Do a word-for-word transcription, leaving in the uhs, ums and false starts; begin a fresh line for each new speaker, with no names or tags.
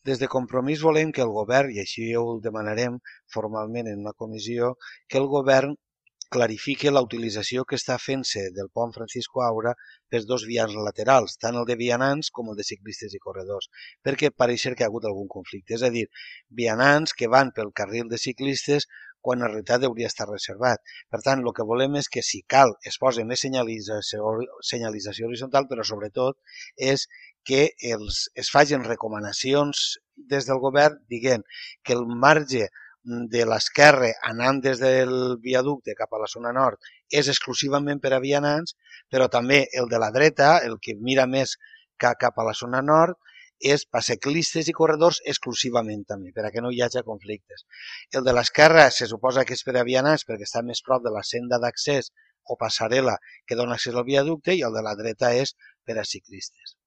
Des de Compromís volem que el govern, i així ho demanarem formalment en una comissió, que el govern clarifique la utilització que està fent-se del pont Francisco Aura per dos vianants laterals, tant el de vianants com el de ciclistes i corredors, perquè pareix que hi ha hagut algun conflicte. És a dir, vianants que van pel carril de ciclistes quan en realitat hauria estar reservat. Per tant, el que volem és que, si cal, es posi més senyalització, senyalització horitzontal, però sobretot és que els, es facin recomanacions des del govern dient que el marge de l'esquerra anant des del viaducte cap a la zona nord és exclusivament per a vianants, però també el de la dreta, el que mira més cap a la zona nord, és per ciclistes i corredors exclusivament també, per a que no hi hagi conflictes. El de l'esquerra se suposa que és per a vianants perquè està més prop de la senda d'accés o passarel·la que dona accés al viaducte, i el de la dreta és per a ciclistes.